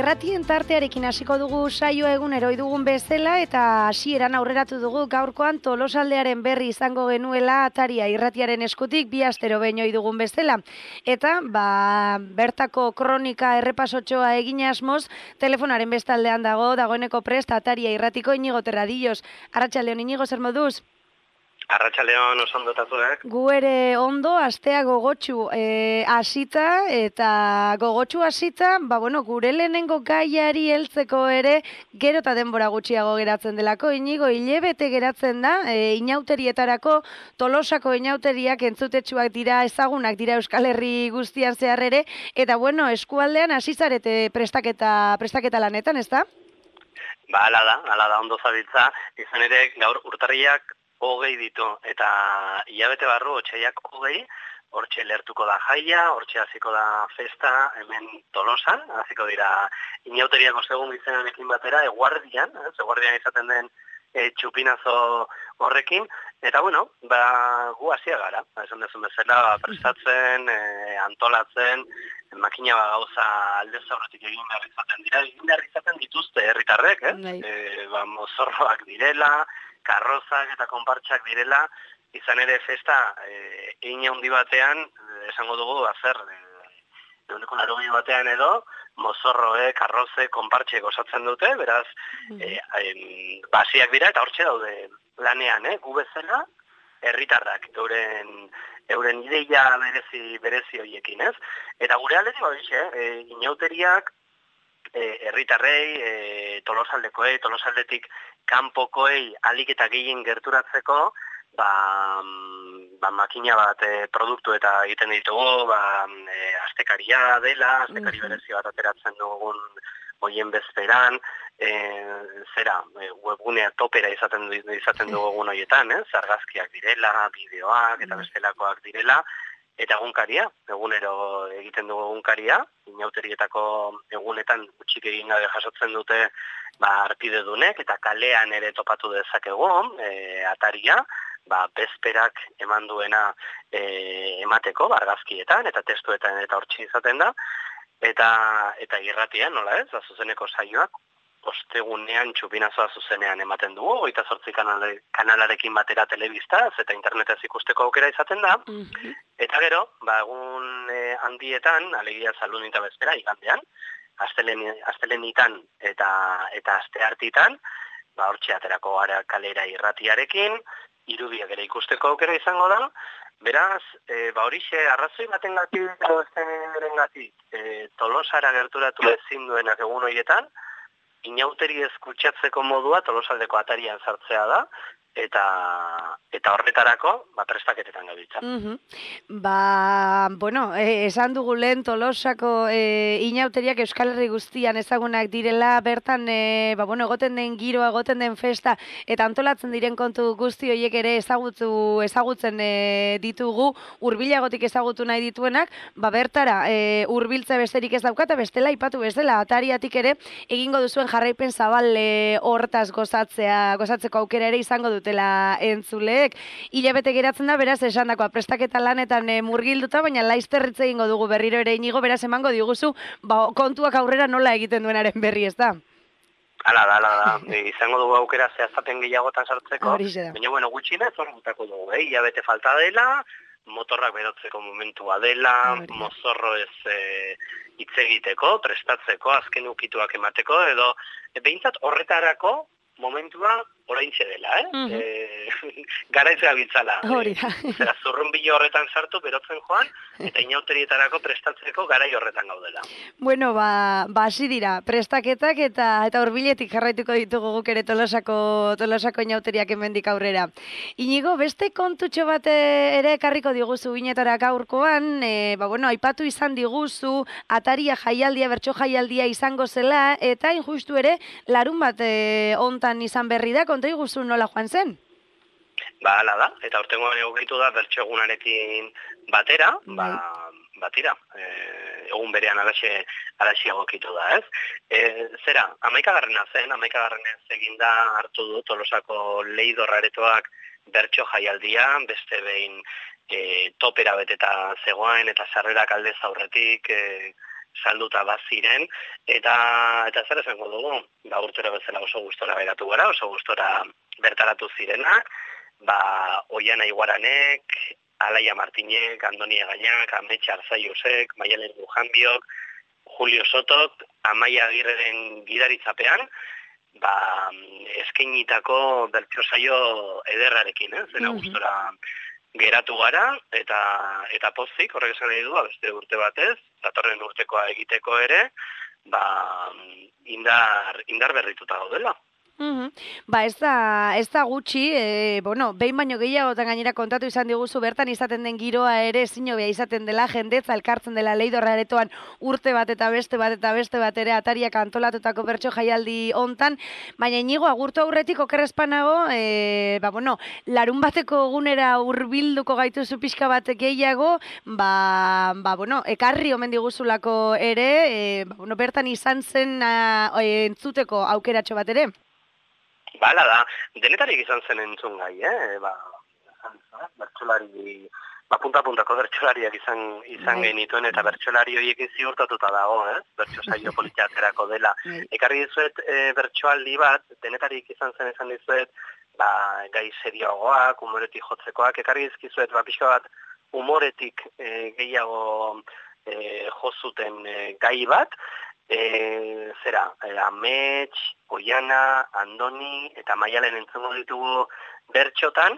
Irratien tartearekin hasiko dugu saioa egunero dugun bezala eta hasieran aurreratu dugu gaurkoan Tolosaldearen berri izango genuela Ataria irratiaren eskutik bi astero behin dugun bezala. Eta bertako kronika errepasotxoa egin asmoz, telefonaren bestaldean dagoeneko prest Ataria irratiko Inigo Terradillos. Arratsaldeon Inigo, zer moduz? Arratsaldeon oso ondo tatuak. Gu ere ondo, astea gogotsu hasita eta gogotsu hasita, gure lehenengo gaiari heltzeko ere gero eta denbora gutxiago geratzen delako. Inigo, hilebete geratzen da, inauterietarako Tolosako inauteriak entzutetsuak dira, ezagunak dira Euskal Herri guztian zehar ere, eta eskualdean hasi zarete prestaketa lanetan, ezta? Hala da ondo zabiltza, izan ere gaur urtarriak 20 ditu, eta hilabete barru otsaiak 20, hortxe lertuko da jaia, hortxe hasiko da festa, hemen Tolosan, hasiko dira inauteriako segun izenarekin batera, eguardian izaten den txupinazo horrekin, eta gu hasia gara, esan dezun bezala, prestatzen, antolatzen, makina gauza aldez aurretik egin behar izaten dituzte herritarrek, mozorroak direla, karrozak eta konpartxak direla, izan ere festa egin handi batean, esango dugu, eguneko 80 batean edo, mozorroe, karroze, konpartxek osatzen dute, beraz, basiak dira eta hortxe daude lanean, gu bezala, herritarrak, euren ideia berezi horiekin, ez? Eta gure aldetik, inauteriak, herritarrei, Tolosaldekoei, Tolosaldetik kanpokoei alik eta gehien gerturatzeko, makina bat produktu eta egiten ditugu, astekaria dela, astekari berezi bat ateratzen dugun hoien bezperan, webgunea topera izaten dugun horietan, argazkiak direla, bideoak eta bestelakoak direla, eta egunkaria, egunero egiten dugu egunkaria, inauterietako egunetan gutxik egin gabe jasotzen dute arpidedunek, eta kalean ere topatu dezakegu, Ataria, bezperak eman duena emateko, argazkietan, eta testuetan eta hortxe izaten da, eta irratian, nola ez, zuzeneko saioak, ostegunean txupinazoa zuzenean ematen dugu, 28 kanalarekin batera telebistaz eta internetez ikusteko aukera izaten da, eta gero, egun handietan, alegia Zaldun eta bezpera, igandean, astelenitan eta asteartitan, hortxe aterako gara kalera irratiarekin, irudiak ere ikusteko aukera izango da, beraz, horixe, arrazoi batengatik, Tolosara gerturatu ezin duenak egun horietan, inauteri eskutsatzeko modua Tolosaldeko Atarian sartzea da, eta horretarako prestaketetan gabiltza. Esan dugu lehen Tolosako inauteriak Euskal Herri guztian ezagunak direla, bertan egoten den giroa, egoten den festa, eta antolatzen diren kontu guzti horiek ere ezagutzen ditugu, hurbilagotik ezagutu nahi dituenak, bertara hurbiltza besterik ez daukata, bestela ipatu bezala, Atariatik ere egingo duzuen jarraipen zabal hortaz gozatzeko aukera ere izango dutela entzuleek. Hilabete geratzen da, beraz, esandakoa prestaketa lanetan murgilduta, baina laizterritze egingo dugu berriro ere Inigo, beraz emango diguzu, kontuak aurrera nola egiten duenaren berri, ez da? Hala da, izango dugu aukera zehaztapen gehiagotan sartzeko, baina gutxinez hor gutako dugu, hilabete falta dela, motorrak berotzeko momentua dela, mozorro ez hitz egiteko, prestatzeko, azken ukituak emateko, edo behintzat horretarako momentua oraintxe dela, Garaiz gabiltzala. Zera, zurrunbilo horretan sartu, berotzen joan, eta inauterietarako prestatzeko garai horretan gaudela. Hasi dira, prestaketak eta hurbiletik jarraituko ditugu guk ere Tolosako inauteriak hemendik aurrera. Inigo, beste kontutxo bat ere ekarriko diguzu binetara gaurkoan, aipatu izan diguzu, Ataria jaialdia, bertso jaialdia izango zela, eta injustu ere, larun bat ontan izan berri da, konta iguzu nola joan zen? Hala da, eta urtengoan egokitu da bertso egunarekin batera, batira, egun berean alaxe egokitu da, ez? Zera, 11. zen, 11. eginda hartu du Tolosako Leidor Aretoak bertso jaialdia, beste behin topera beteta zegoen eta sarrerak aldez aurretik salduta baziren, eta zer esango dugu, urtero bezala oso gustora beratu gara, oso gustora bertaratu zirenak, Oiana Iguaranek, Alaia Martinek, Andoni Egainak, Ametxe Arzaiusek, Maialen Lujanbiok, Julio Sotok, Amaia Agirreren gidaritzapean, eskainitako bertsio saio ederrarekin, zena gustora geratu gara, eta pozik, horrek esan nahi du, beste urte batez, datorren urtekoa egiteko ere, indar berrituta gaudela. Ez da gutxi, behin baino gehiagotan gainera kontatu izan diguzu, bertan izaten den giroa ere ezin hobea izaten dela, jendetza elkartzen dela Leidorra aretoan urte bat eta beste bat ere atariak antolatutako bertso jaialdi hontan, baina Inigo agurtu aurretik okerrezpanago, larun bateko egunera hurbilduko gaituzu pixka bat gehiago, ekarri omen diguzulako ere, bertan izan zen entzuteko aukeratxo bat ere. Bala da, denetarik izan zen entzun gai, bertsolari, punta-puntako bertsolariak izan genituen, eta bertsolari horiekin ziurtatuta dago, bertso saio politiaterako dela. Ekarri dizuet bertsoaldi bat, denetarik izan zen esan dizuet, gai serioagoak, humoretik jotzekoak, ekarri dizkizuet, pixka bat, humoretik gehiago jozuten gai bat, Amets, Oiana, Andoni eta Maialen entzungo ditugu bertxotan,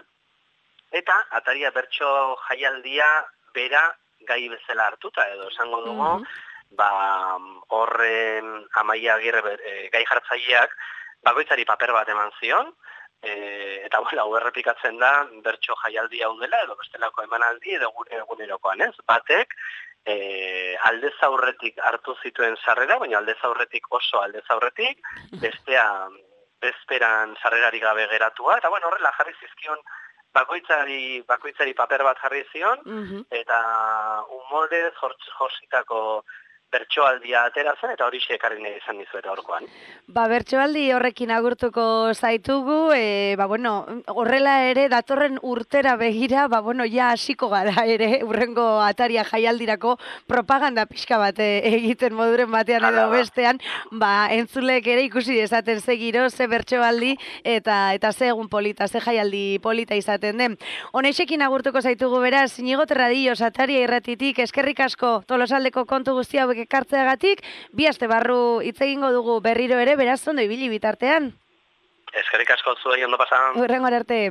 eta ataria bertso jaialdia bera gai bezala hartuta, edo esango dugu, horren Amaia Agirre gai jartzaileak bakoitzari paper bat eman zion, eta hau errepikatzen da bertso jaialdi hau dela, edo bestelako emanaldi, edo egunerokoan, batek, aldez aurretik hartu zituen sarrera, baina aldez aurretik oso aldez aurretik, bestea bezperan sarrerari gabe geratua, eta horrela jarri zizkion bakoitzari paper bat jarri zion, eta humorez jositako bertsoaldia ateratzen, eta hori ekarri nahi izan dizuet aurkoan. Bertsoaldi horrekin agurtuko zaitugu, horrela ere datorren urtera begira, ja hasiko gara ere, urrengo ataria jaialdirako propaganda pixka bat egiten moduren batean edo bestean, entzulek ere ikusi dezaten ze giro, ze bertsoaldi, eta ze egun polita, ze jaialdi polita izaten den. Honexekin agurtuko zaitugu beraz, Inigo Terradillos, ataria irratitik, eskerrik asko Tolosaldeko kontu guzti hauek ekartzeagatik, bi aste barru hitz egingo dugu berriro ere, beraz ondo ibili bitartean. Eskerrik asko zuei, ondo pasa. Hurrengora arte.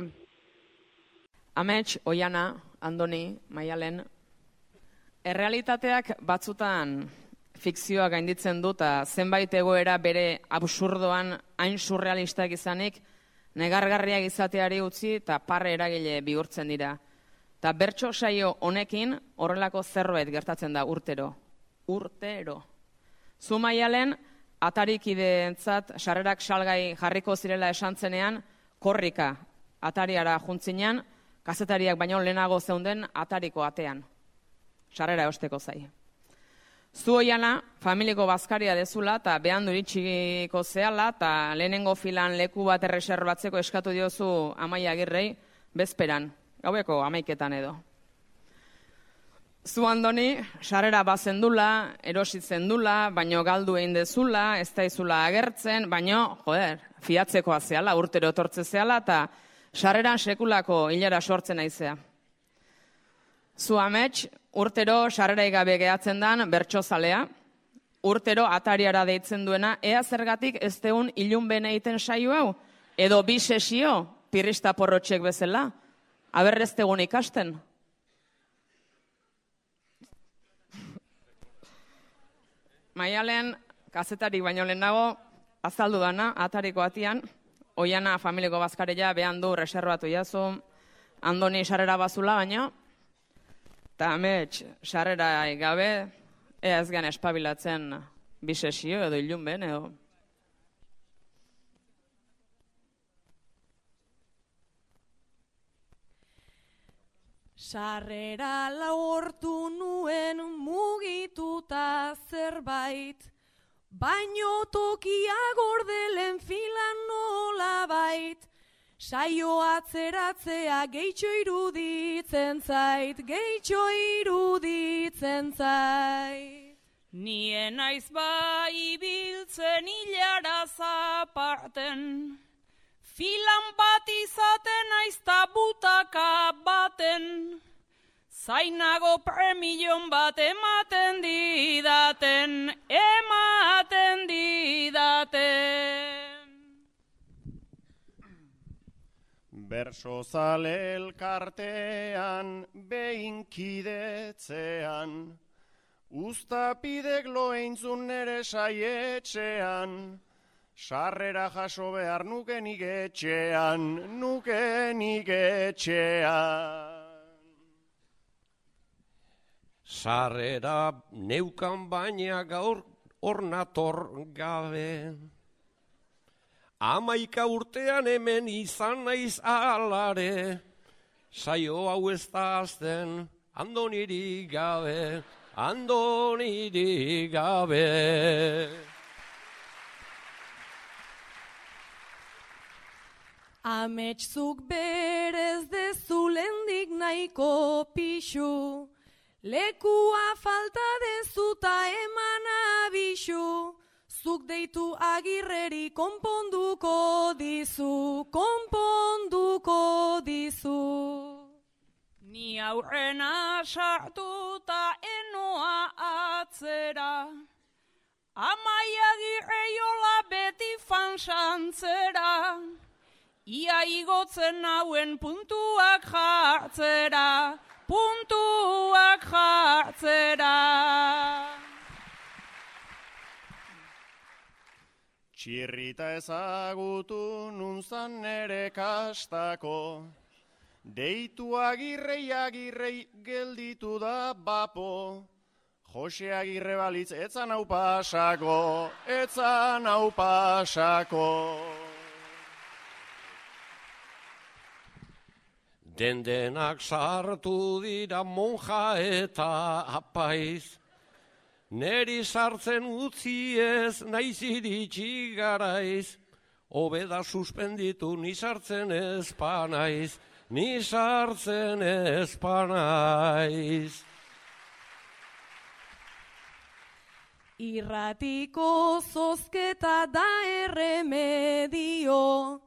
Amets, Oiana, Andoni, Maialen, errealitateak batzutan fikzioa gainditzen du, eta zenbait egoera bere absurdoan hain surrealistak izanik, negargarriak izateari utzi eta parre eragile bihurtzen dira. Eta bertso saio honekin horrelako zerbait gertatzen da urtero. Zu Maialen, atarikideentzat sarrerak salgai jarriko zirela esan zenean, korrika atariara juntzinean, kazetariak baino lehenago zeunden atariko atean. Sarrera eosteko zai. Zu Oiana, familiko bazkaria dezula eta behandu iritsiko zehala, eta lehenengo filan leku bat erreserbatzeko eskatu diozu Amaia Agirrei, bezperan, gaueko 11etan edo. Zu Andoni, sarrera bazendula, erositzen dula, baino galdu egin dezula, ez daizula agertzen, baino, fiatzekoa zehala, urtero etortze zehala, eta sarreran sekulako hilera sortzen aizea. Zu Amets, urtero sarrera gabe gehatzen dan bertsozalea, urtero atariara deitzen duena, ea zergatik ez deun ilunben egiten saio hau, edo bi sesio, pirrista porrotxek bezala, aberrez degun ikasten. Maialen, kazetarik baino lehenago, azaldu dana, atariko atian, Oiana familiko bazkareia behan du reservatu jazu, Andoni sarrera bazula baino, eta Amets sarrera gabe, ea ez gen espabilatzen bisesio edo ilunben, edo. Sarrera laurtu nuen mugituta zerbait, baino tokia gordelen filan nolabait, saio atzeratzea gehitxo iruditzen zait, gehitxo iruditzen zait. Nien naiz bai ibiltzen hilara zaparten, filan bat izaten aizta butaka baten, zainago premilion bat ematen didaten, Bersozale elkartean behinkidetzean, Uztapidek loeintzun nere saietxean, sarrera jaso behar nukenik etxean, Sarrera neukan baina gaur ornator gabe. 11 urtean hemen izan naiz alare, saio hau ez da azten, andonirik gabe. Ametszuk berez dezulendik nahiko pixu, lekua falta dezuta eman abisu, zuk deitu Agirreri konponduko dizu. Ni aurrena sartuta enoa atzera, Amai Agirreiola beti fansantzera, ia igotzen hauen puntuak jartzera. Txirrita ezagutu nuntzan nere kastako, deitu Agirrei gelditu da bapo, Jose Agirre balitz etzan hau pasako. Dendenak sartu dira monja eta apaiz, neri sartzen utzi ez naiz iritsi garaiz, hobeda suspenditu ni sartzen ez panaiz. Irratiko zozketa da erremedio,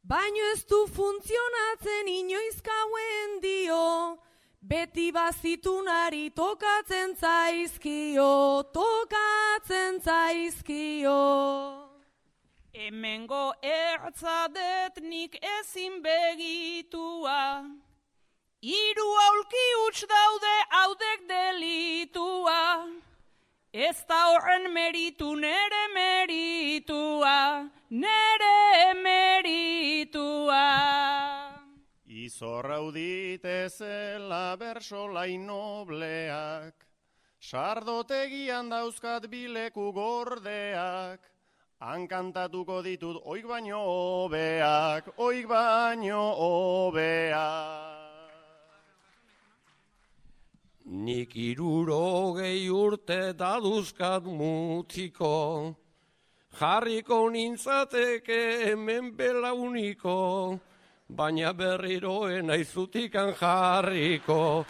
baino ez du funtzionatzen inoiz gauen dio, beti bazitunari tokatzen zaizkio. Hemengo ertzadet nik ezin begitua, 3 aulki huts daude haudek delitua, ez da horren meritu nere meritua. Izorrau ditezela bersolai nobleak, sardotegian dauzkat bileku gordeak, han kantatuko ditut oik baino hobeak. Nik 60 urte daduzkat mutiko, jarriko nintzateke hemen belauniko, baina berriroen naiz zutikan jarriko.